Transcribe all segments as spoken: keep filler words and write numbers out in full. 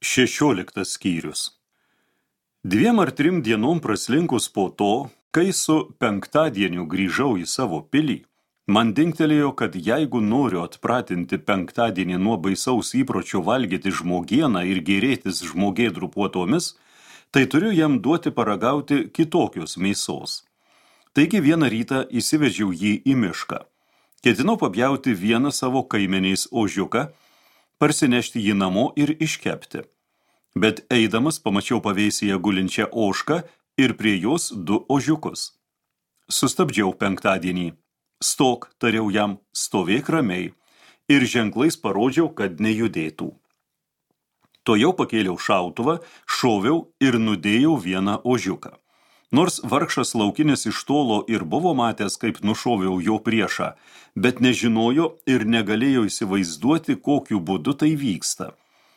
Šešioliktas skyrius. Dviem ar trim dienom praslinkus po to, kai su penktadieniu grįžau į savo pilį, man dingtelėjo, kad jeigu noriu atpratinti penktadienį nuo baisaus įpročio valgyti žmogieną ir gėrėtis žmogėdrų puotomis, tai turiu jam duoti paragauti kitokios mėsos. Taigi vieną rytą įsivežiau jį į mišką. Ketinau papjauti vieną savo kaimeniais ožiuką, parsinešti jį namo ir iškepti. Bet eidamas pamačiau pavėsyje gulinčią ožką ir prie jos du ožiukus. Sustabdžiau penktadienį. Stok, tariau jam, stovėk ramiai, ir ženklais parodžiau, kad nejudėtų. Tojau pakėliau šautuvą, šoviau ir nudėjau vieną ožiuką. Nors vargšas laukinis iš tolo ir buvo matęs, kaip nušoviau jo priešą, bet nežinojo ir negalėjo įsivaizduoti, kokiu būdu tai vyksta.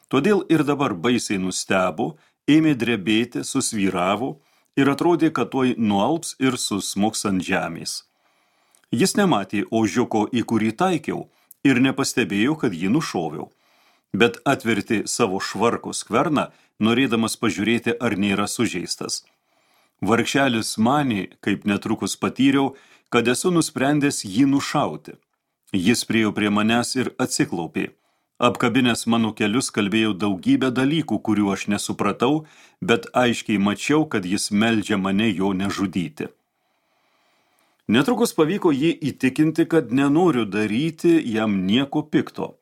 Todėl ir dabar baisiai nustebo, ėmė drebėti, susvyravo ir atrodė, kad tuoj nualps ir susmuks ant žemės. Jis nematė ožiuko, į kurį taikiau, ir nepastebėjo, kad jį nušoviau, bet atvertė savo švarko skverną, norėdamas pažiūrėti, ar nėra sužeistas. Vargšelis manė, kaip netrukus patyriau, kad esu nusprendęs jį nušauti. Jis priėjo prie manęs ir atsiklaupė. Apkabinęs mano kelius kalbėjau daugybę dalykų, kurių aš nesupratau, bet aiškiai mačiau, kad jis meldžia mane jo nežudyti. Netrukus pavyko jį įtikinti, kad nenoriu daryti jam nieko pikto.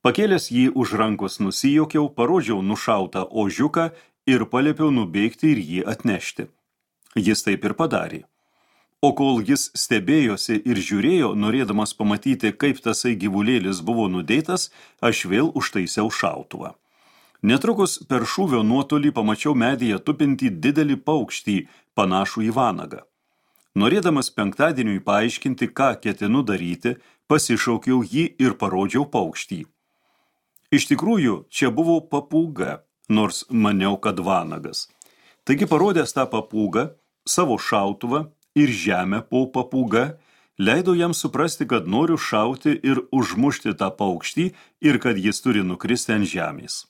Pakėlęs jį už rankos nusijokiau, parodžiau nušautą ožiuką ir paliepiau nubėgti ir jį atnešti. Jis taip ir padarė. O kol jis stebėjosi ir žiūrėjo, norėdamas pamatyti, kaip tasai gyvulėlis buvo nudėtas, aš vėl užtaisiau šautuvą. Netrukus per šūvio nuotolį pamačiau medyje tupintį didelį paukštį, panašų į vanagą. Norėdamas penktadieniui paaiškinti, ką ketinu daryti, pasišaukiau jį ir parodžiau paukštį. Iš tikrųjų, čia buvo papūga, nors maniau, kad vanagas. Taigi parodęs tą papūgą, savo šautuvą ir žemę po papūga, leido jam suprasti, kad noriu šauti ir užmušti tą paukštį ir kad jis turi nukristi ant žemės.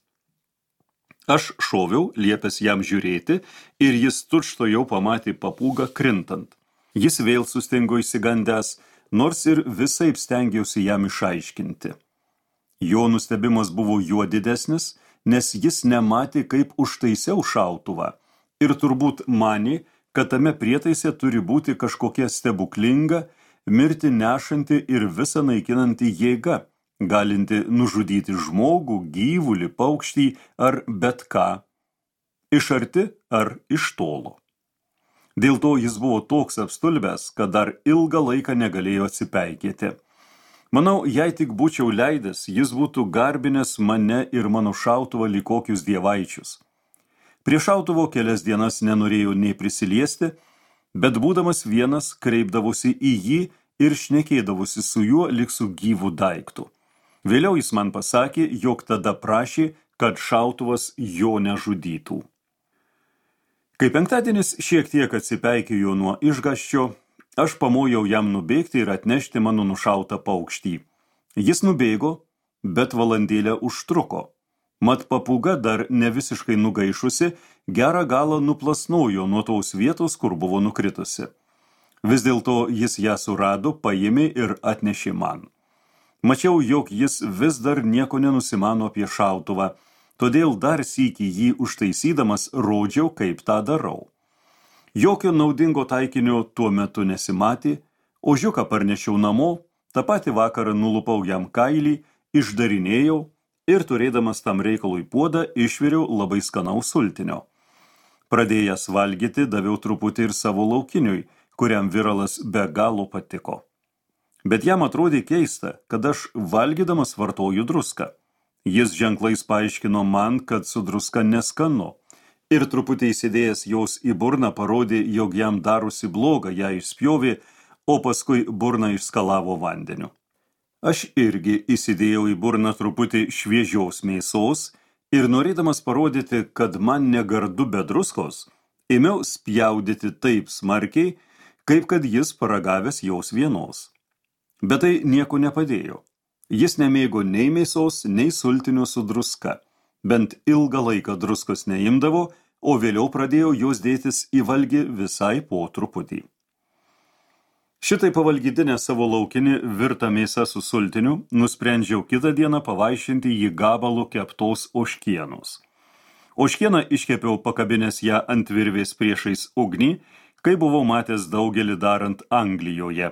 Aš šoviau, liepęs jam žiūrėti, ir jis tučtuojau pamatė papūgą krintant. Jis vėl sustingo išsigandęs, nors ir visaip stengiausi jam išaiškinti. Jo nustebimas buvo juo didesnis, nes jis nematė, kaip užtaisiau šautuvą, ir turbūt manė, kad tame prietaise turi būti kažkokia stebuklinga, mirti nešanti ir visą naikinanti jėga, galinti nužudyti žmogų, gyvulį, paukštį ar bet ką, iš arti ar iš tolo. Dėl to jis buvo toks apstulbęs, kad dar ilgą laiką negalėjo atsipeikėti. Manau, jei tik būčiau leidęs, jis būtų garbinęs mane ir mano šautuvą lyg kokius dievaičius. Prie šautuvo kelias dienas nenorėjau nei prisiliesti, bet būdamas vienas kreipdavosi į jį ir šnekėdavosi su juo lyg su gyvu daiktu. Vėliau jis man pasakė, jog tada prašė, kad šautuvas jo nežudytų. Kai penktadienis šiek tiek atsipeikėjo nuo išgąsčio, aš pamojau jam nubėgti ir atnešti mano nušautą paukštį. Jis nubėgo, bet valandėlę užtruko. Mat papūga dar ne visiškai nugaišusi, gerą galą nuplasnojo nuo tos vietos, kur buvo nukritusi. Vis dėlto jis ją surado, paėmė ir atnešė man. Mačiau, jog jis vis dar nieko nenusimano apie šautuvą, todėl dar sykį jį užtaisydamas rodžiau, kaip tą darau. Jokio naudingo taikinio tuo metu nesimatė, ožiuką parnešiau namo, tą patį vakarą nulupau jam kailį, išdarinėjau, ir turėdamas tam reikalui puodą išviriau labai skanaus sultinio. Pradėjęs valgyti, daviau truputį ir savo laukiniui, kuriam viralas be galo patiko. Bet jam atrodė keista, kad aš valgydamas vartoju druską. Jis ženklais paaiškino man, kad su druska neskanu, ir truputį įsidėjęs jos į burną parodė, jog jam darosi bloga, ją išspjovė, o paskui burną išskalavo vandeniu. Aš irgi įsidėjau į burną truputį šviežios mėsos ir norėdamas parodyti, kad man negardu be druskos, ėmiau spjaudyti taip smarkiai, kaip kad jis paragavęs jos vienos. Bet tai nieko nepadėjo. Jis nemėgo nei mėsos, nei sultinio su druska. Bent ilgą laiką druskos neimdavo, o vėliau pradėjo jos dėtis į valgį visai po truputį. Šitai pavalgydinę savo laukinį virtą mėsą su sultiniu, nusprendžiau kitą dieną pavaišinti jį gabalu keptos ožkienos. Ožkieną iškepiau pakabinęs ją ant virvės priešais ugnį, kai buvau matęs daugelį darant Anglijoje.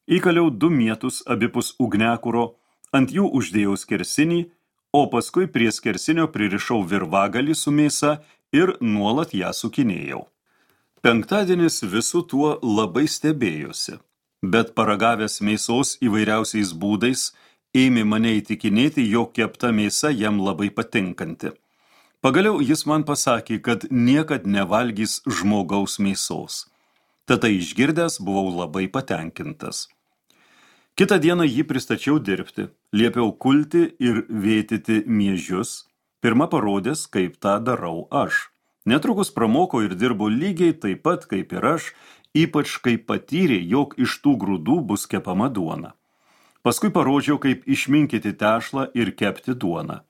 Įkaliau du mietus abipus ugnekuro, ant jų uždėjau skersinį, o paskui prie skersinio pririšau virvagalį su mėsa ir nuolat ją sukinėjau. Penktadienis visų tuo labai stebėjosi, bet paragavęs mėsos įvairiausiais būdais, ėmė mane įtikinėti, jog kepta mėsa jam labai patinkanti. Pagaliau jis man pasakė, kad niekad nevalgys žmogaus mėsos. Tada išgirdęs buvau labai patenkintas. Kitą dieną jį pristačiau dirbti, liepiau kulti ir vėtyti miežius, pirma parodęs, kaip tą darau aš. Netrukus pramoko ir dirbo lygiai taip pat kaip ir aš, ypač kai patyrė, jog iš tų grūdų bus kepama duona. Paskui parodžiau, kaip išminkyti tešlą ir kepti duoną.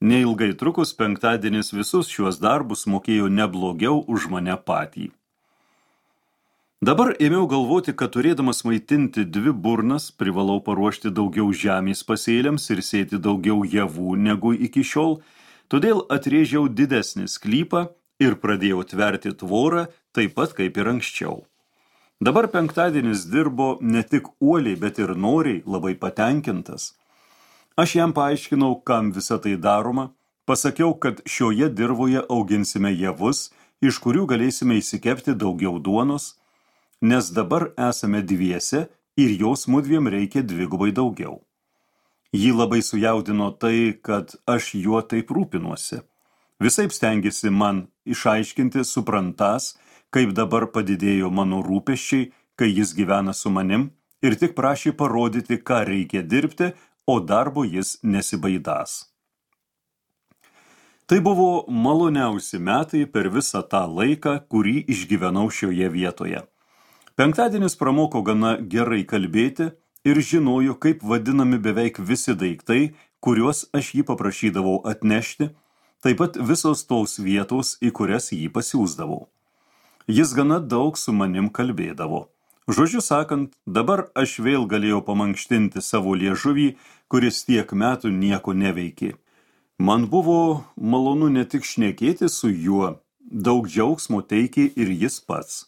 Neilgai trukus penktadienis visus šiuos darbus mokėjo neblogiau už mane patį. Dabar ėmiau galvoti, kad turėdamas maitinti dvi burnas, privalau paruošti daugiau žemės pasėliams ir sėti daugiau javų negu iki šiol, todėl atrėžiau didesnį sklypą ir pradėjau tverti tvorą, taip pat kaip ir anksčiau. Dabar penktadienis dirbo ne tik uoliai, bet ir noriai, labai patenkintas. Aš jam paaiškinau, kam visa tai daroma, pasakiau, kad šioje dirvoje auginsime javus, iš kurių galėsime įsikepti daugiau duonos, nes dabar esame dviese ir jos mudviem reikia dvigubai daugiau. Jį labai sujaudino tai, kad aš juo taip rūpinuosi. Visaip stengiasi man išaiškinti, suprantas, kaip dabar padidėjo mano rūpesčiai, kai jis gyvena su manim, ir tik prašė parodyti, ką reikia dirbti, o darbo jis nesibaidas. Tai buvo maloniausi metai per visą tą laiką, kurį išgyvenau šioje vietoje. Penktadienis pramoko gana gerai kalbėti ir žinojo, kaip vadinami beveik visi daiktai, kuriuos aš jį paprašydavau atnešti, taip pat visos tos vietos, į kurias jį pasiūsdavau. Jis gana daug su manim kalbėdavo. Žodžiu sakant, dabar aš vėl galėjau pamankštinti savo liežuvį, kuris tiek metų nieko neveikė. Man buvo malonu ne tik šnekėti su juo, daug džiaugsmo teikė ir jis pats.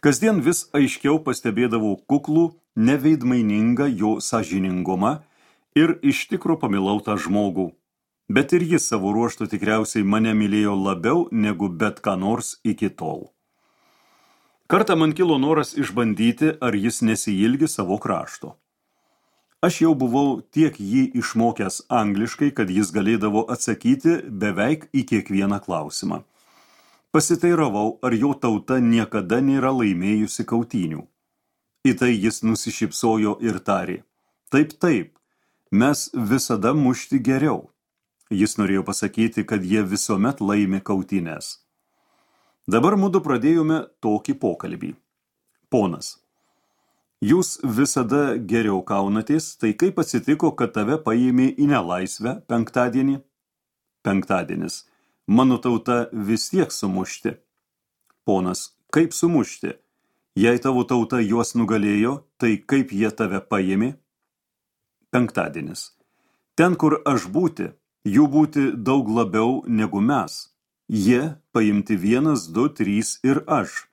Kasdien vis aiškiau pastebėdavau kuklų, neveidmainingą jo sąžiningumą ir iš tikro pamilau tą žmogų. Bet ir jis savo ruožtu tikriausiai mane mylėjo labiau negu bet ką nors iki tol. Kartą man kilo noras išbandyti, ar jis nesiilgi savo krašto. Aš jau buvau tiek jį išmokęs angliškai, kad jis galėdavo atsakyti beveik į kiekvieną klausimą. Pasiteiravau, ar jo tauta niekada nėra laimėjusi kautynių. Į tai jis nusišypsojo ir tarė: Taip, taip, mes visada mušti geriau. Jis norėjo pasakyti, kad jie visuomet laimi kautynes. Dabar mudu pradėjome tokį pokalbį. Ponas, jūs visada geriau kaunatės, tai kaip atsitiko, kad tave paėmė į nelaisvę penktadienį? Penktadienis. Mano tauta vis tiek sumušti. Ponas, kaip sumušti? Jei tavo tauta juos nugalėjo, tai kaip jie tave paėmė? Penktadienis. Ten, kur aš būti, jų būti daug labiau negu mes. Jie paimti vienas, du, trys ir aš.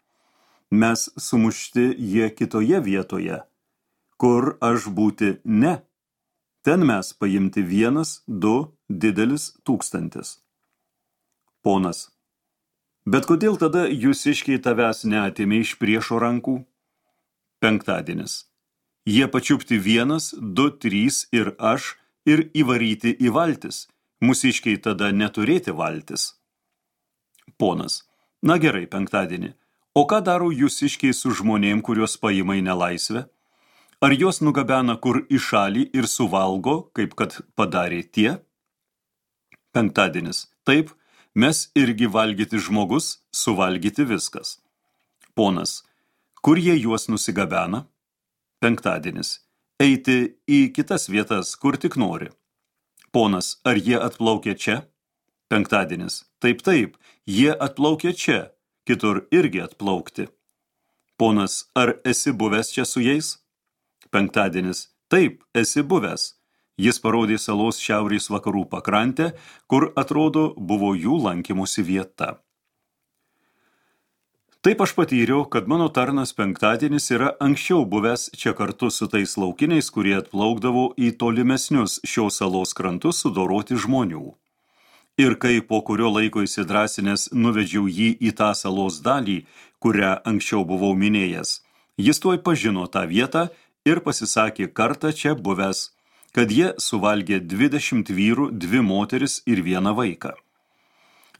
Mes sumušti jie kitoje vietoje. Kur aš būti ne. Ten mes paimti vienas, du, didelis tūkstantis. Ponas, bet kodėl tada jūsiškiai tavęs neatėmė iš priešo rankų? Penktadienis. Jie pačiupti vienas, du, trys ir aš ir įvaryti į valtis. Mūsiškiai tada neturėti valtis. Ponas. Na gerai, penktadienį. O ką daro jūsiškiai su žmonėm, kuriuos paima į nelaisvę? Ar juos nugabena kur į šalį ir suvalgo, kaip kad padarė tie? Penktadienis. Taip, mes irgi valgyti žmogus, suvalgyti viskas. Ponas, kur jie juos nusigabena? Penktadienis, eiti į kitas vietas, kur tik nori. Ponas, ar jie atplaukia čia? Penktadienis. Taip, taip, jie atplaukia čia, kitur irgi atplaukti. Ponas, ar esi buvęs čia su jais? Penktadienis. Taip, esi buvęs. Jis parodė salos šiaurės vakarų pakrantę, kur, atrodo, buvo jų lankymosi vieta. Taip aš patyriau, kad mano tarnas Penktadienis yra anksčiau buvęs čia kartu su tais laukiniais, kurie atplaukdavo į tolimesnius šios salos krantus sudoroti žmonių. Ir kai po kurio laiko įsidrasinęs nuvedžiau jį į tą salos dalį, kurią anksčiau buvau minėjęs, jis tuoj pažino tą vietą ir pasisakė kartą čia buvęs, kad jie suvalgė dvidešimt vyrų, dvi moteris ir vieną vaiką.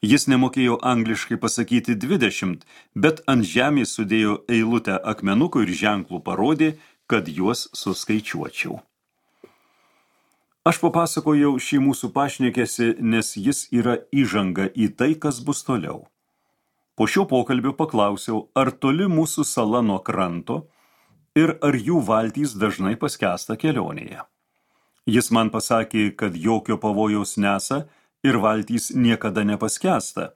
Jis nemokėjo angliškai pasakyti dvidešimt, bet ant žemės sudėjo eilutę akmenukų ir ženklų parodė, kad juos suskaičiuočiau. Aš papasakojau šį mūsų pašnekesį, nes jis yra įžanga į tai, kas bus toliau. Po šio pokalbio paklausiau, ar toli mūsų sala nuo kranto ir ar jų valtys dažnai paskęsta kelionėje. Jis man pasakė, kad jokio pavojaus nesa, ir valtys niekada nepaskęsta,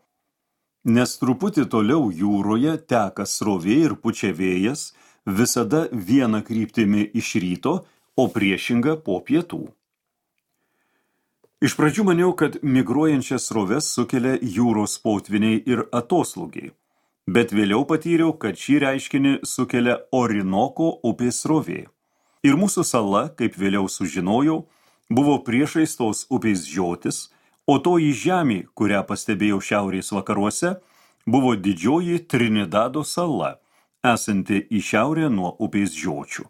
nes truputį toliau jūroje teka srovė ir pučia vėjas, visada viena kryptimi iš ryto, o priešinga po pietų. Iš pradžių maniau, kad migruojančias sroves sukelia jūros potviniai ir atoslūgiai, bet vėliau patyriau, kad šį reiškinį sukelia Orinoko upės srovė. Ir mūsų sala, kaip vėliau sužinojau, buvo priešais tos upės žiotis, o toji žemė, kurią pastebėjau šiaurės vakaruose, buvo didžioji Trinidado sala, esanti į šiaurę nuo upės žiočių.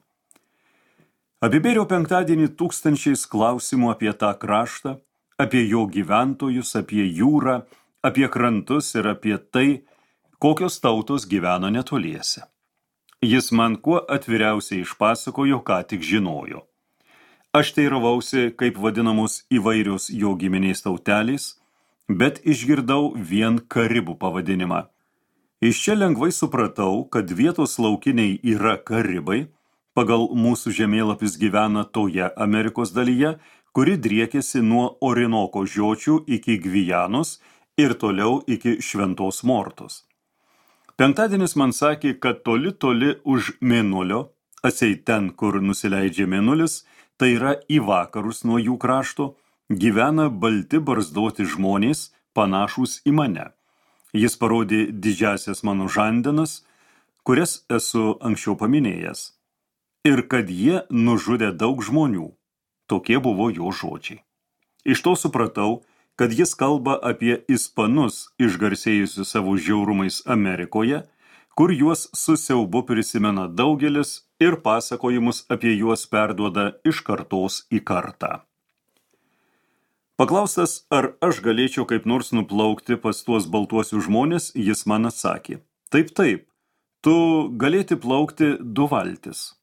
Apibėriau Penktadienį tūkstančiais klausimų apie tą kraštą, apie jo gyventojus, apie jūrą, apie krantus ir apie tai, kokios tautos gyvena netoliese. Jis man kuo atviriausiai išpasakojo, ką tik žinojo. Aš teiravausi, kaip vadinamos įvairios jo giminės tautelės, bet išgirdau vien karibų pavadinimą. Iš čia lengvai supratau, kad vietos laukiniai yra karibai, pagal mūsų žemėlapis gyvena toje Amerikos dalyje, kuri driekėsi nuo Orinoko žiočių iki Gvijanos ir toliau iki Šventos Mortos. Penktadienis man sakė, kad toli toli už Mėnulio, atseit ten, kur nusileidžia Mėnulis, tai yra į vakarus nuo jų krašto, gyvena balti barzdoti žmonės, panašūs į mane. Jis parodė didžiasias mano žandenas, kurias esu anksčiau paminėjęs. Ir kad jie nužudė daug žmonių. Tokie buvo jo žodžiai. Iš to supratau, kad jis kalba apie ispanus, išgarsėjusius savo žiaurumais Amerikoje, kur juos su siaubu prisimena daugelis ir pasakojimus apie juos perduoda iš kartos į kartą. Paklaustas, ar aš galėčiau kaip nors nuplaukti pas tuos baltuosius žmonės, jis man atsakė, taip, taip, tu galėti plaukti du valtis.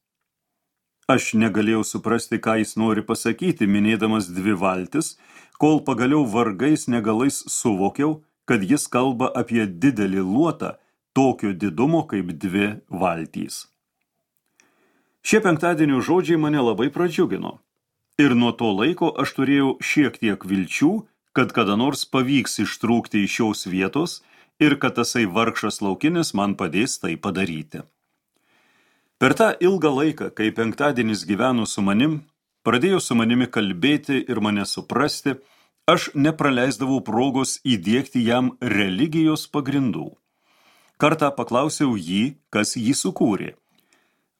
Aš negalėjau suprasti, ką jis nori pasakyti, minėdamas dvi valtis, kol pagaliau vargais negalais suvokiau, kad jis kalba apie didelį luotą, tokio didumo kaip dvi valtys. Šie penktadienio žodžiai mane labai pradžiugino. Ir nuo to laiko aš turėjau šiek tiek vilčių, kad kada nors pavyks ištrūkti iš šios vietos ir kad tasai vargšas laukinis man padės tai padaryti. Per tą ilgą laiką, kai penktadienis gyveno su manim, pradėjo su manimi kalbėti ir mane suprasti, aš nepraleisdavau progos įdiegti jam religijos pagrindų. Kartą paklausiau jį, kas jį sukūrė.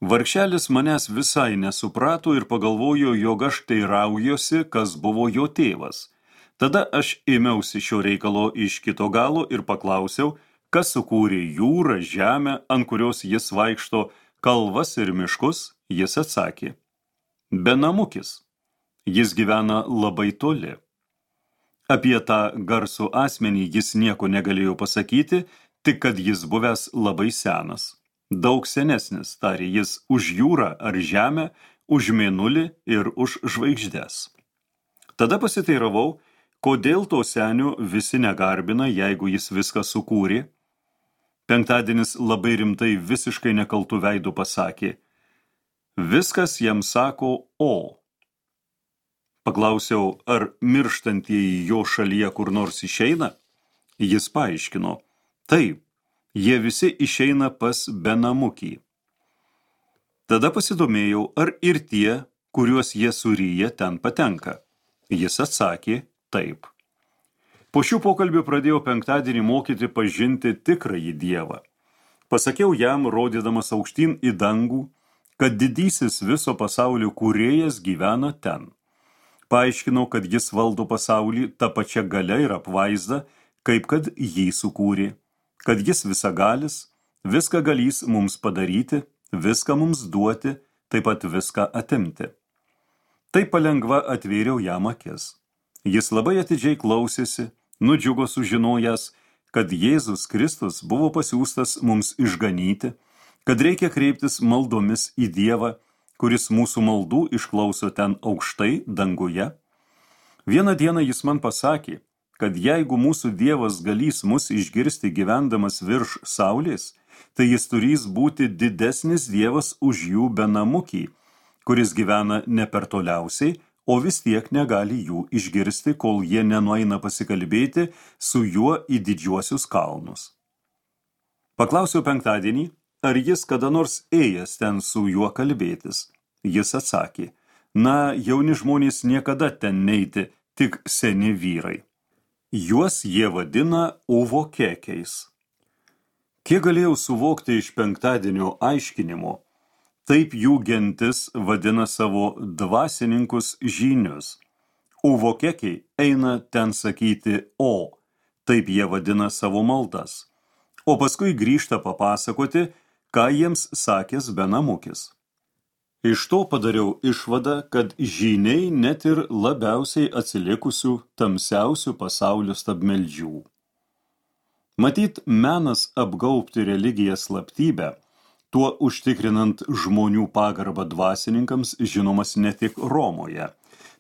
Vargšelis manęs visai nesuprato ir pagalvojo, jog aš teiraujosi, kas buvo jo tėvas. Tada aš ėmiausi šio reikalo iš kito galo ir paklausiau, kas sukūrė jūrą, žemę, ant kurios jis vaikšto, kalvas ir miškus. Jis atsakė, benamukis. Jis gyvena labai toli. Apie tą garsų asmenį jis nieko negalėjo pasakyti, tik kad jis buvęs labai senas. Daug senesnis, tarė jis, už jūrą ar žemę, už mėnulį ir už žvaigždes. Tada pasiteiravau, kodėl to senio visi negarbina, jeigu jis viską sukūrė. Penktadienis labai rimtai visiškai nekaltų veidų pasakė, viskas jam sako o. Paklausiau, ar mirštantieji jo šalyje kur nors išeina? Jis paaiškino, taip, jie visi išeina pas Benamukį. Tada pasidomėjau, ar ir tie, kuriuos jie suryja, ten patenka. Jis atsakė, taip. Po šių pokalbių pradėjau penktadienį mokyti pažinti tikrąjį Dievą. Pasakiau jam, rodydamas aukštyn į dangų, kad didysis viso pasaulio kūrėjas gyvena ten. Paaiškinau, kad jis valdo pasaulį tą pačią galia ir apvaizdą, kaip kad jį sukūrė, kad jis visagalis, viską galys mums padaryti, viską mums duoti, taip pat viską atimti. Taip palengva atvėriau jam akis. Jis labai atidžiai klausėsi, nudžiugo sužinojęs, kad Jėzus Kristus buvo pasiųstas mums išganyti, kad reikia kreiptis maldomis į Dievą, kuris mūsų maldų išklauso ten aukštai danguje. Vieną dieną jis man pasakė, kad jeigu mūsų Dievas galys mus išgirsti gyvendamas virš saulės, tai jis turės būti didesnis Dievas už jų Benamukį, kuris gyvena ne per toliausiai, o vis tiek negali jų išgirsti, kol jie nenueina pasikalbėti su juo į didžiuosius kalnus. Paklausiau penktadienį, ar jis kada nors ėjęs ten su juo kalbėtis. Jis atsakė, na, jauni žmonės niekada ten neiti, tik seni vyrai. Juos jie vadina uvokekiais. Kiek galėjau suvokti iš penktadienio aiškinimo, taip jų gentis vadina savo dvasininkus žynius. Uvokekiai eina ten sakyti o, taip jie vadina savo maldas, o paskui grįžta papasakoti, ką jiems sakęs Benamukis. Iš to padariau išvadą, kad žyniai net ir labiausiai atsilikusių tamsiausių pasaulio stabmeldžių. Matyt, menas apgaubti religiją slaptybę, tuo užtikrinant žmonių pagarbą dvasininkams, žinomas ne tik Romoje.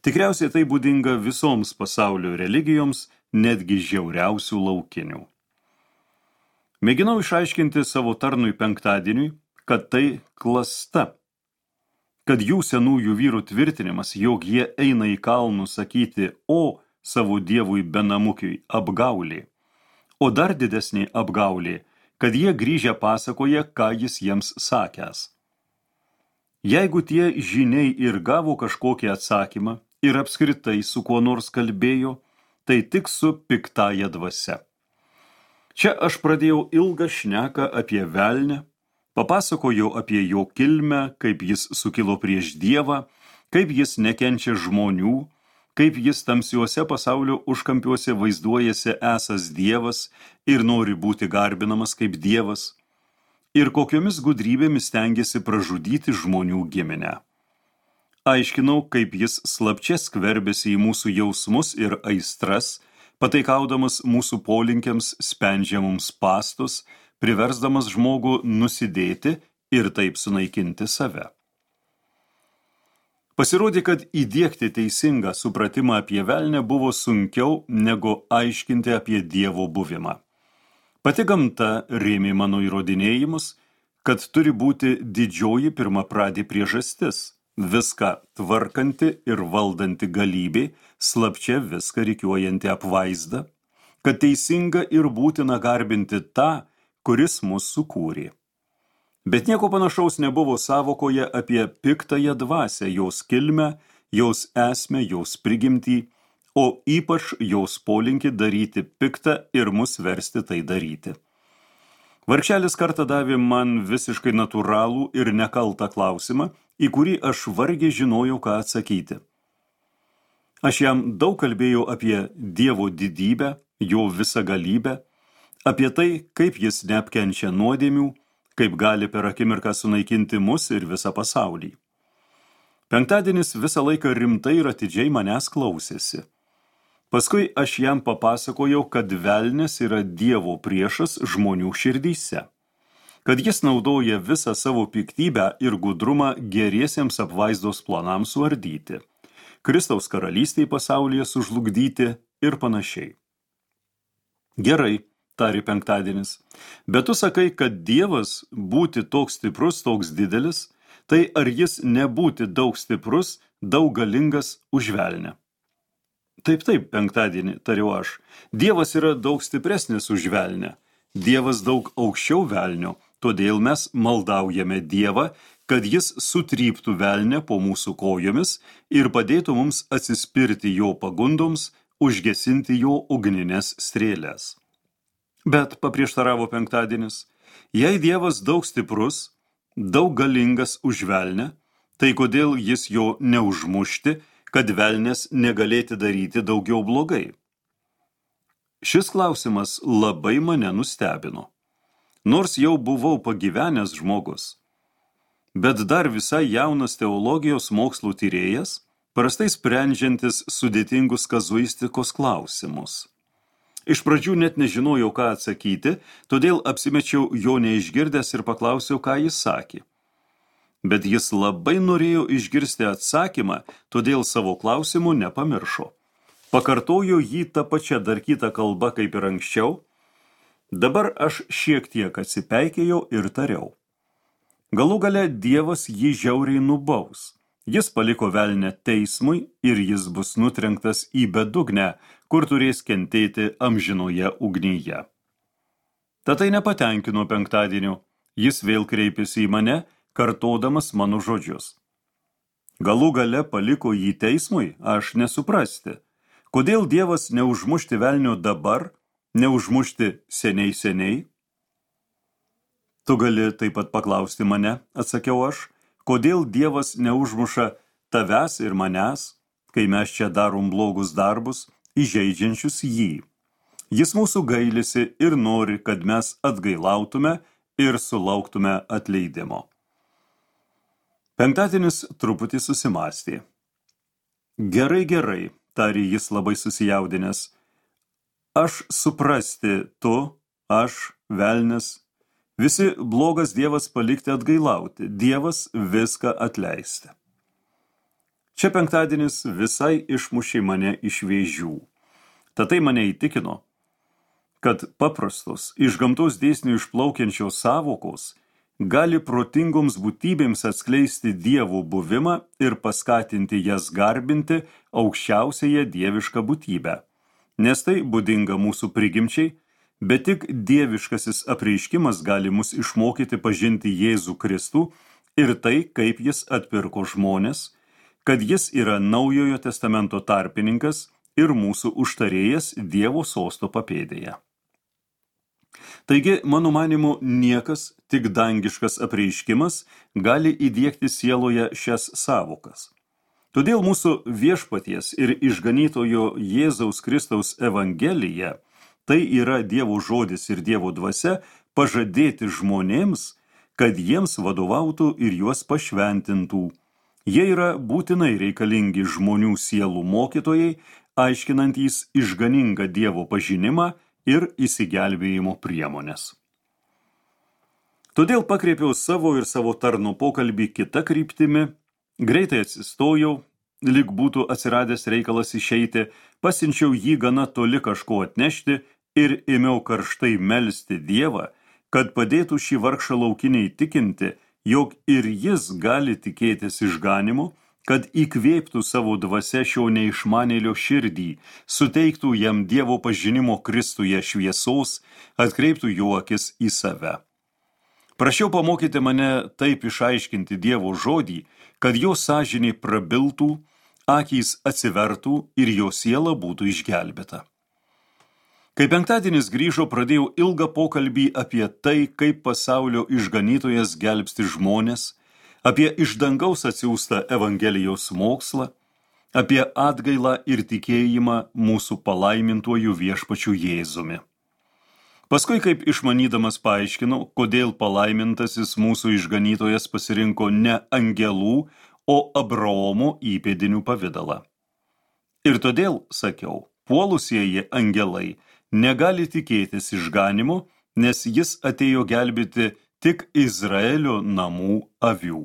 Tikriausiai tai būdinga visoms pasaulio religijoms, netgi žiauriausių laukinių. Mėginau išaiškinti savo tarnui penktadieniui, kad tai klasta, kad jų senųjų vyrų tvirtinimas, jog jie eina į kalnus sakyti o savo dievui Benamukiui apgaulė, o dar didesnė apgaulė, kad jie grįžę pasakoja, ką jis jiems sakęs. Jeigu tie žyniai ir gavo kažkokį atsakymą ir apskritai su kuo nors kalbėjo, tai tik su piktąja dvasia. Čia aš pradėjau ilgą šneką apie velnę, papasakojau apie jo kilmę, kaip jis sukilo prieš Dievą, kaip jis nekenčia žmonių, kaip jis tamsiuose pasaulio užkampiuose vaizduojasi esas Dievas ir nori būti garbinamas kaip Dievas, ir kokiomis gudrybėmis stengiasi pražudyti žmonių giminę. Aiškinau, kaip jis slapčia skverbėsi į mūsų jausmus ir aistras, pataikaudamas mūsų polinkiams spendžia mums spastus, priversdamas žmogų nusidėti ir taip sunaikinti save. Pasirodė, kad įdiegti teisingą supratimą apie velnę buvo sunkiau negu aiškinti apie Dievo buvimą. Pati gamta rėmė mano įrodinėjimus, kad turi būti didžioji pirmapradė priežastis, viską tvarkanti ir valdanti galybė, slapčia viską rikiuojanti apvaizda, kad teisinga ir būtina garbinti tą, kuris mus sukūrė. Bet nieko panašaus nebuvo sąvokoje apie piktąją dvasią, jos kilmę, jos esmę, jos prigimtį, o ypač jos polinkį daryti piktą ir mus versti tai daryti. Vargšelis kartą davė man visiškai natūralų ir nekaltą klausimą, į kurį aš vargiai žinojau, ką atsakyti. Aš jam daug kalbėjau apie Dievo didybę, jo visagalybę, apie tai, kaip jis neapkenčia nuodėmių, kaip gali per akimirką sunaikinti mus ir visą pasaulį. Penktadienis visą laiką rimtai ir atidžiai manęs klausėsi. Paskui aš jam papasakojau, kad velnias yra Dievo priešas žmonių širdyse, kad jis naudoja visą savo piktybę ir gudrumą geriesiems apvaizdos planams suardyti, Kristaus karalystei pasaulyje sužlugdyti ir panašiai. Gerai, tarė penktadienis, bet tu sakai, kad Dievas būti toks stiprus, toks didelis, tai ar jis nebūti daug stiprus, daug galingas už velnę? Taip, taip, penktadienį, tariu aš. Dievas yra daug stipresnis už velnę. Dievas daug aukščiau velnio, todėl mes maldaujame Dievą, kad jis sutryptų velnę po mūsų kojomis ir padėtų mums atsispirti jo pagundoms, užgesinti jo ugninės strėlės. Bet, paprieštaravo penktadienis, jei Dievas daug stiprus, daug galingas už velnę, tai kodėl jis jo neužmušti, kad velnės negalėti daryti daugiau blogai? Šis klausimas labai mane nustebino. Nors jau buvau pagyvenęs žmogus, bet dar visai jaunas teologijos mokslų tyrėjas, prastai sprendžiantis sudėtingus kazuistikos klausimus. Iš pradžių net nežinojau, ką atsakyti, todėl apsimečiau jo neišgirdęs ir paklausiau, ką jis sakė. Bet jis labai norėjo išgirsti atsakymą, todėl savo klausimų nepamiršo. Pakartojo jį tą pačią dar kitą kalbą kaip ir anksčiau. Dabar aš šiek tiek atsipeikėjau ir tariau. Galų gale Dievas jį žiauriai nubaus. Jis paliko velnę teismui ir jis bus nutrenktas į bedugnę, kur turės kentėti amžinoje ugnyje. Tad tai nepatenkino penktadienio. Jis vėl kreipėsi į mane, kartodamas mano žodžius. Galų gale paliko jį teismui, aš nesuprasti. Kodėl Dievas neužmušti velnio dabar, neužmušti seniai seniai? Tu gali taip pat paklausti mane, atsakiau aš, kodėl Dievas neužmuša tavęs ir manęs, kai mes čia darom blogus darbus, įžeidžiančius jį. Jis mūsų gailisi ir nori, kad mes atgailautume ir sulauktume atleidimo. Penktadienis truputį susimąstė. Gerai, gerai, tarė jis labai susijaudinęs. Aš suprasti, tu, aš, velnias, visi blogas Dievas palikti atgailauti, Dievas viską atleisti. Čia penktadienis visai išmušė mane iš vėžių. Tad tai mane įtikino, kad paprastos, iš gamtos dėsnių išplaukiančios sąvokos gali protingoms būtybėms atskleisti Dievo buvimą ir paskatinti jas garbinti aukščiausiąją dievišką būtybę. Nes tai būdinga mūsų prigimčiai, bet tik dieviškasis apreiškimas gali mus išmokyti pažinti Jėzų Kristų ir tai, kaip jis atpirko žmones, kad jis yra Naujojo testamento tarpininkas ir mūsų užtarėjas Dievo sosto papėdėje. Taigi, mano manimu, niekas, tik dangiškas apreiškimas, gali įdiegti sieloje šias sąvokas. Todėl mūsų viešpaties ir išganytojo Jėzaus Kristaus evangelija, tai yra Dievo žodis ir Dievo dvasia, pažadėti žmonėms, kad jiems vadovautų ir juos pašventintų. Jie yra būtinai reikalingi žmonių sielų mokytojai, aiškinantys išganingą Dievo pažinimą ir įsigelbėjimo priemonės. Todėl pakreipiau savo ir savo tarno pokalbį kitą kryptimi, greitai atsistojau, lyg būtų atsiradęs reikalas išeiti, pasiunčiau jį gana toli kažko atnešti ir ėmiau karštai melsti Dievą, kad padėtų šį vargšą laukinį įtikinti, jog ir jis gali tikėtis išganimo, kad įkvėptų savo dvasia šio neišmanėlio širdį, suteiktų jam Dievo pažinimo Kristuje šviesos, atkreiptų jo akis į save. Prašiau pamokyti mane taip išaiškinti Dievo žodį, kad jo sąžinė prabiltų, akys atsivertų ir jo siela būtų išgelbėta. Kai penktadienis grįžo, pradėjau ilgą pokalbį apie tai, kaip pasaulio išganytojas gelbsti žmones, apie iš dangaus atsiųstą Evangelijos mokslą, apie atgailą ir tikėjimą mūsų palaimintuoju viešpačiu Jėzumi. Paskui, kaip išmanydamas paaiškinau, kodėl palaimintasis mūsų išganytojas pasirinko ne angelų, o Abraomo įpėdinių pavidalą. Ir todėl, sakiau, puolusieji angelai negali tikėtis išganimo, nes jis atėjo gelbėti tik Izraelio namų avių.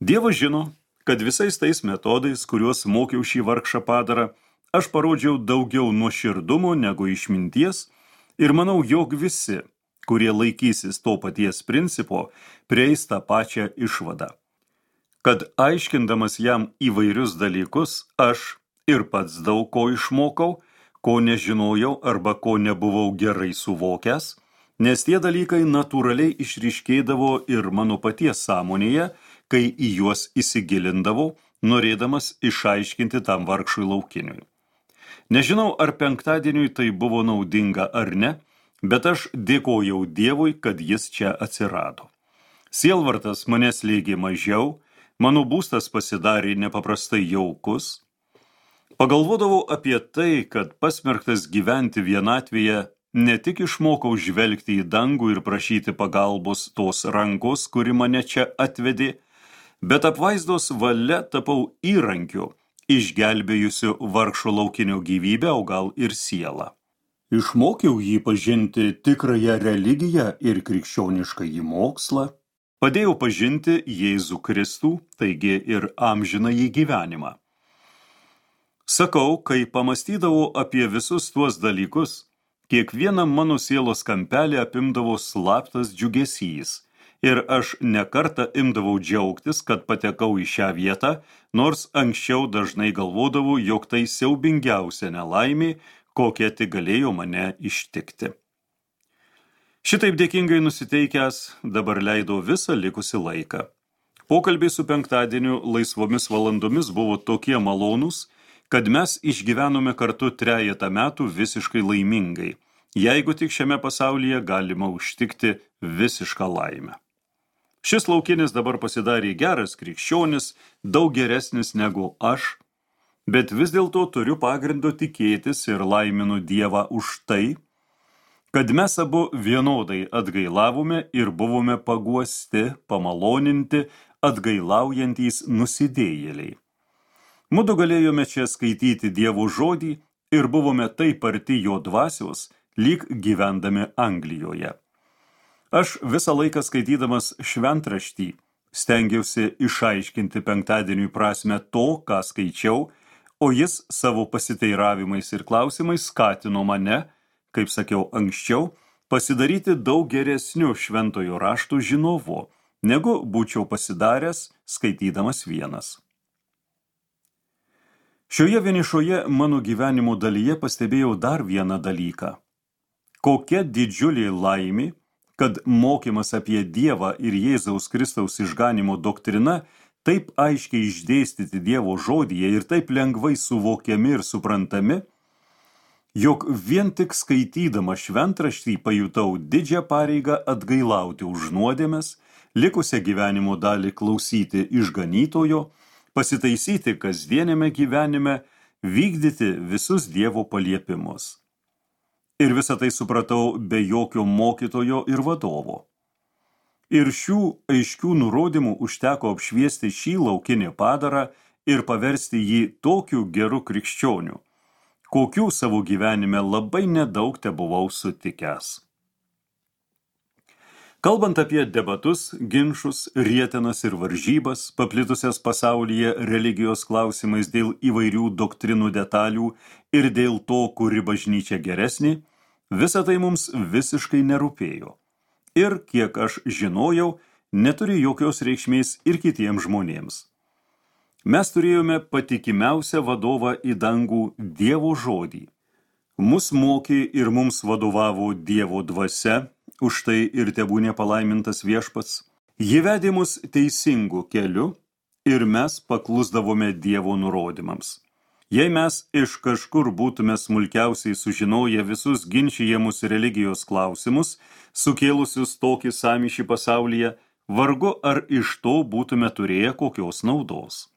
Dievas žino, kad visais tais metodais, kuriuos mokiau šį vargšą padarą, aš parodžiau daugiau nuoširdumo negu išminties ir manau, jog visi, kurie laikysis to paties principo, prieis tą pačią išvadą. Kad aiškindamas jam įvairius dalykus, aš ir pats daug ko išmokau, ko nežinojau arba ko nebuvau gerai suvokęs, nes tie dalykai natūraliai išryškėdavo ir mano paties sąmonėje, kai į juos įsigilindavau, norėdamas išaiškinti tam vargšui laukiniui. Nežinau, ar penktadieniui tai buvo naudinga ar ne, bet aš dėkojau Dievui, kad jis čia atsirado. Sielvartas mane slėgė mažiau, mano būstas pasidarė nepaprastai jaukus. Pagalvodavau apie tai, kad pasmerktas gyventi vienatvėje, ne tik išmokau žvelgti į dangų ir prašyti pagalbos tos rankos, kuri mane čia atvedė, bet apvaizdos valia tapau įrankiu, išgelbėjusiu vargšo laukinio gyvybę, o gal ir sielą. Išmokiau jį pažinti tikrąją religiją ir krikščioniškąjį mokslą, padėjau pažinti Jėzų Kristų, taigi ir amžinąjį gyvenimą. Sakau, kai pamastydavau apie visus tuos dalykus, kiekvieną mano sielos kampelį apimdavo slaptas džiugesys, ir aš nekartą imdavau džiaugtis, kad patekau į šią vietą, nors anksčiau dažnai galvodavau, jog tai siaubingiausia nelaimė, kokia tik galėjo mane ištikti. Šitaip dėkingai nusiteikęs dabar leidau visą likusį laiką. Pokalbiai su penktadieniu laisvomis valandomis buvo tokie malonūs, kad mes išgyvenome kartu trejetą metų visiškai laimingai, jeigu tik šiame pasaulyje galima užtikti visišką laimę. Šis laukinis dabar pasidarė geras krikščionis, daug geresnis negu aš, bet vis dėlto turiu pagrindo tikėtis ir laiminu Dievą už tai, kad mes abu vienodai atgailavome ir buvome paguosti, pamaloninti, atgailaujantys nusidėjėliai. Mudu galėjome čia skaityti Dievo žodį ir buvome taip arti jo dvasios, lyg gyvendami Anglijoje. Aš visą laiką skaitydamas šventraštį stengiausi išaiškinti penktadieniui prasme to, ką skaičiau, o jis savo pasiteiravimais ir klausimais skatino mane, kaip sakiau anksčiau, pasidaryti daug geresniu šventojo raštų žinovu, negu būčiau pasidaręs skaitydamas vienas. Šioje vienišoje mano gyvenimo dalyje pastebėjau dar vieną dalyką. Kokia didžiulė laimė, kad mokymas apie Dievą ir Jėzaus Kristaus išganimo doktrina taip aiškiai išdėstyti Dievo žodyje ir taip lengvai suvokiami ir suprantami, jog vien tik skaitydama šventraštį pajutau didžią pareigą atgailauti už nuodėmes, likusią gyvenimo dalį klausyti išganytojo, pasitaisyti kasdienėme gyvenime, vykdyti visus Dievo paliepimus. Ir visą tai supratau be jokio mokytojo ir vadovo. Ir šių aiškių nurodymų užteko apšviesti šį laukinį padarą ir paversti jį tokiu geru krikščioniu, kokių savo gyvenime labai nedaug tebuvau sutikęs. Kalbant apie debatus, ginčus, rietenas ir varžybas, paplitusias pasaulyje religijos klausimais dėl įvairių doktrinų detalių ir dėl to, kuri bažnyčia geresnė, visa tai mums visiškai nerūpėjo. Ir, kiek aš žinojau, neturi jokios reikšmės ir kitiems žmonėms. Mes turėjome patikimiausią vadovą į dangų Dievo žodį. Mus mokė ir mums vadovavo Dievo dvasia, už tai ir tebūnė palaimintas viešpats. Ji vedė mus teisingu keliu ir mes paklusdavome Dievo nurodymams. Jei mes iš kažkur būtume smulkiausiai sužinoję visus ginčijamus religijos klausimus, sukėlusius tokį sąmyšį pasaulyje, vargu ar iš to būtume turėję kokios naudos.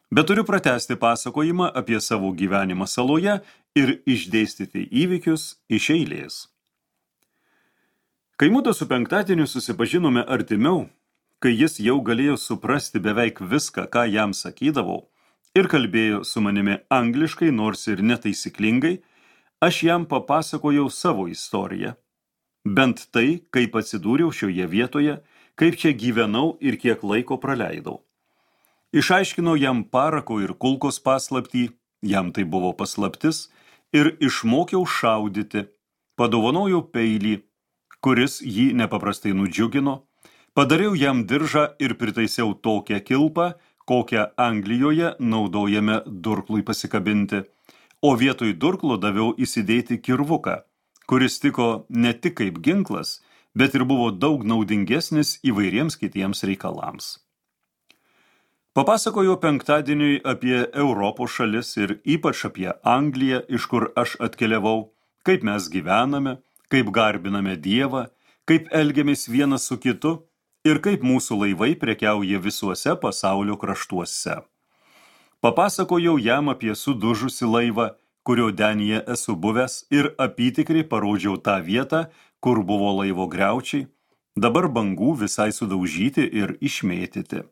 Bet turiu pratęsti pasakojimą apie savo gyvenimą saloje ir išdėstyti įvykius iš eilės. Kai mudu su penktadieniu susipažinome artimiau, kai jis jau galėjo suprasti beveik viską, ką jam sakydavau, ir kalbėjo su manimi angliškai, nors ir netaisyklingai, aš jam papasakojau savo istoriją. Bent tai, kaip atsidūriau šioje vietoje, kaip čia gyvenau ir kiek laiko praleidau. Išaiškinau jam parako ir kulkos paslaptį, jam tai buvo paslaptis, ir išmokiau šaudyti, padovanojau peilį, kuris jį nepaprastai nudžiugino, padariau jam diržą ir pritaisiau tokią kilpą, kokią Anglijoje naudojame durklui pasikabinti, o vietoj durklo daviau įsidėti kirvuką, kuris tiko ne tik kaip ginklas, bet ir buvo daug naudingesnis įvairiems kitiems reikalams. Papasakojo penktadieniui apie Europos šalis ir ypač apie Angliją, iš kur aš atkeliavau, kaip mes gyvename, kaip garbiname Dievą, kaip elgiamės vienas su kitu ir kaip mūsų laivai prekiauja visuose pasaulio kraštuose. Papasakojau jam apie sudužusį laivą, kurio denyje esu buvęs, ir apytikriai parodžiau tą vietą, kur buvo laivo griaučiai, dabar bangų visai sudaužyti ir išmėtyti.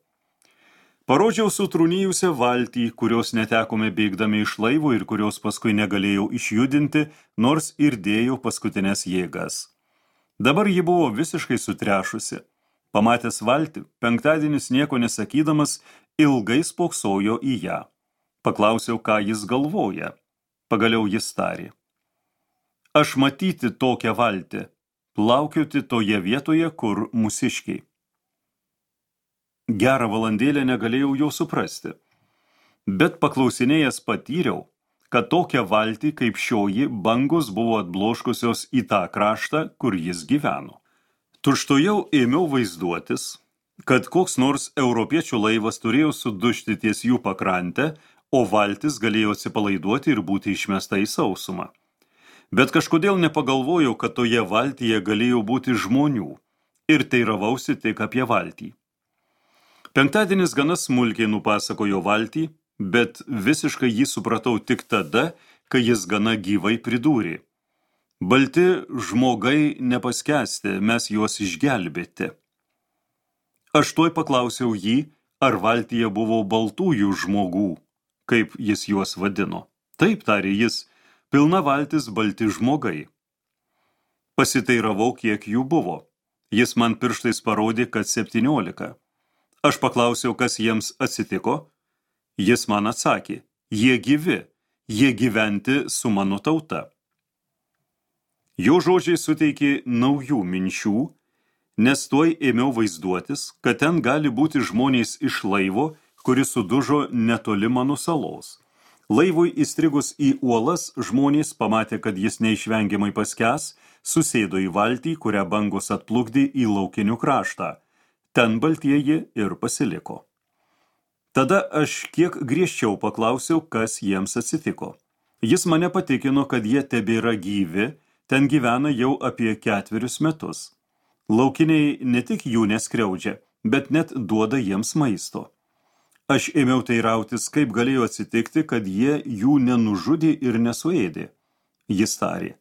Parodžiau sutrūnijusią valtį, kurios netekome bėgdami iš laivo ir kurios paskui negalėjau išjudinti, nors ir dėjau paskutinės jėgas. Dabar ji buvo visiškai sutrešusi. Pamatęs valtį, penktadienis nieko nesakydamas, ilgai spoksojo į ją. Paklausiau, ką jis galvoja. Pagaliau jis tarė: Aš matyti tokią valtį, plaukioti toje vietoje, kur mūsiškiai. Gerą valandėlę negalėjau jo suprasti, bet paklausinėjęs patyriau, kad tokią valtį kaip šioji bangos buvo atbloškusios į tą kraštą, kur jis gyveno. Tučtuojau ėmiau vaizduotis, kad koks nors europiečių laivas turėjo sudužti ties jų pakrantę, o valtis galėjo atsipalaiduoti ir būti išmesta į sausumą. Bet kažkodėl nepagalvojau, kad toje valtyje galėjo būti žmonių, ir teiravausi tik apie valtį. Penktadienis gana smulkiai nupasakojo valtį, bet visiškai jį supratau tik tada, kai jis gana gyvai pridūrė: Balti žmogai nepaskęsti, mes juos išgelbėti. Aš tuoj paklausiau jį, ar valtyje buvo baltųjų žmogų, kaip jis juos vadino. Taip, tarė jis, pilna valtis balti žmogai. Pasiteiravau, kiek jų buvo. Jis man pirštais parodė, kad septyniolika. Aš paklausiau, kas jiems atsitiko. Jis man atsakė: Jie gyvi, jie gyventi su mano tauta. Jo žodžiai suteikė naujų minčių, nes tuoj ėmiau vaizduotis, kad ten gali būti žmonės iš laivo, kuris sudužo netoli mano salos. Laivui įstrigus į uolas, žmonės pamatė, kad jis neišvengiamai paskęs, susėdo į valtį, kurią bangos atplukdė į laukinių kraštą. Ten baltieji ir pasiliko. Tada aš kiek griežčiau paklausiau, kas jiems atsitiko. Jis mane patikino, kad jie tebėra gyvi, ten gyvena jau apie ketverius metus. Laukiniai ne tik jų neskriaudžia, bet net duoda jiems maisto. Aš ėmiau teirautis, kaip galėjo atsitikti, kad jie jų nenužudė ir nesuėdė. Jis tarė: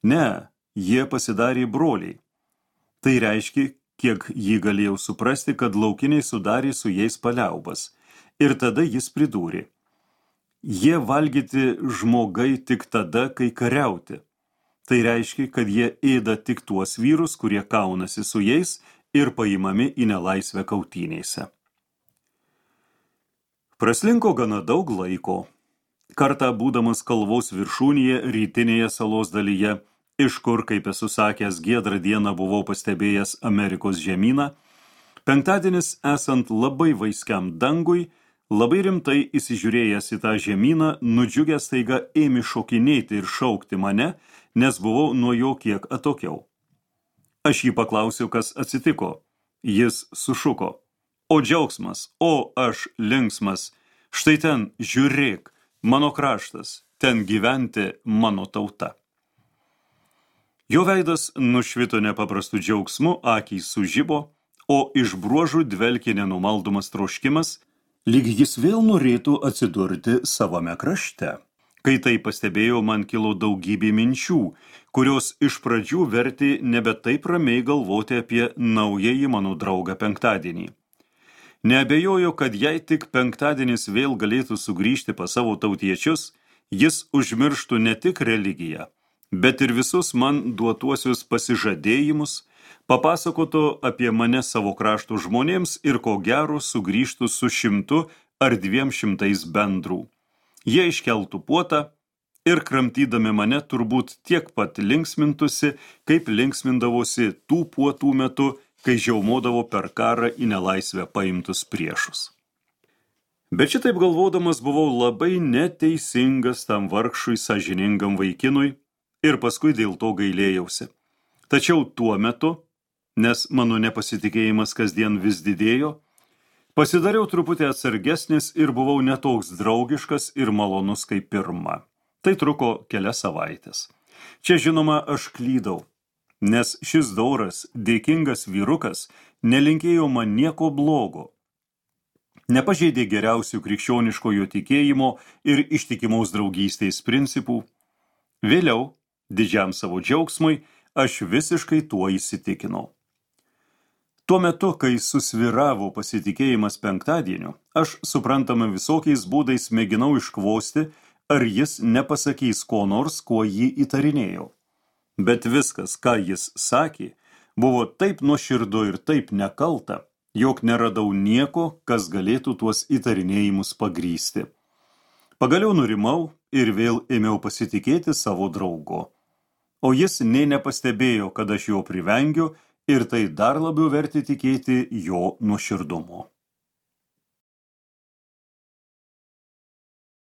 Ne, jie pasidarė broliai. Tai reiškia, kiek jį galėjau suprasti, kad laukiniai sudarė su jais paliaubas. Ir tada jis pridūrė: Jie valgyti žmogai tik tada, kai kariauti. Tai reiškia, kad jie ėda tik tuos vyrus, kurie kaunasi su jais ir paimami į nelaisvę kautynėse. Praslinko gana daug laiko. Kartą būdamas kalvos viršūnėje rytinėje salos dalyje, iš kur, kaip esu sakęs, giedrą dieną buvau pastebėjęs Amerikos žemyną, penktadienis esant labai vaiskiam dangui, labai rimtai įsižiūrėjęs į tą žemyną, nudžiugęs staiga ėmė šokinėti ir šaukti mane, nes buvau nuo jo kiek atokiau. Aš jį paklausiau, kas atsitiko. Jis sušuko: O džiaugsmas, o aš linksmas, štai ten, žiūrėk, mano kraštas, ten gyventi mano tauta. Jo veidas nušvito nepaprastu džiaugsmu, akys sužibo, o iš bruožų dvelkė nenumaldomas troškimas, lyg jis vėl norėtų atsidurti savame krašte. Kai tai pastebėjau, man kilo daugybė minčių, kurios iš pradžių vertė nebe taip ramiai galvoti apie naująjį mano draugą penktadienį. Neabejoju, kad jei tik penktadienis vėl galėtų sugrįžti pas savo tautiečius, jis užmirštų ne tik religiją, bet ir visus man duotuosius pasižadėjimus, papasakotų apie mane savo krašto žmonėms ir ko gero sugrįžtų su šimtu ar dviem šimtais bendrų. Jie iškeltų puotą ir kramtydami mane turbūt tiek pat linksmintusi, kaip linksmindavosi tų puotų metu, kai žiaumodavo per karą į nelaisvę paimtus priešus. Bet šitaip galvodamas buvau labai neteisingas tam vargšui sąžiningam vaikinui ir paskui dėl to gailėjausi. Tačiau tuo metu, nes mano nepasitikėjimas kasdien vis didėjo, pasidariau truputį atsargesnis ir buvau netoks draugiškas ir malonus kaip pirma. Tai truko kelias savaitės. Čia žinoma aš klydau, nes šis dauras, dėkingas vyrukas, nelinkėjo man nieko blogo. Nepažeidė geriausių krikščioniškojo tikėjimo ir ištikimos draugystės principų. Vėliau, didžiam savo džiaugsmui, aš visiškai tuo įsitikinau. Tuo metu, kai susvyravo pasitikėjimas penktadieniu, aš suprantama visokiais būdais mėginau iškvosti, ar jis nepasakys ko nors, kuo jį įtarinėjau. Bet viskas, ką jis sakė, buvo taip nuoširdu ir taip nekalta, jog neradau nieko, kas galėtų tuos įtarinėjimus pagrįsti. Pagaliau nurimau ir vėl ėmiau pasitikėti savo draugu. O jis nė nepastebėjo, kad aš jo privengiu ir tai dar labiau vertė tikėti jo nuoširdumu.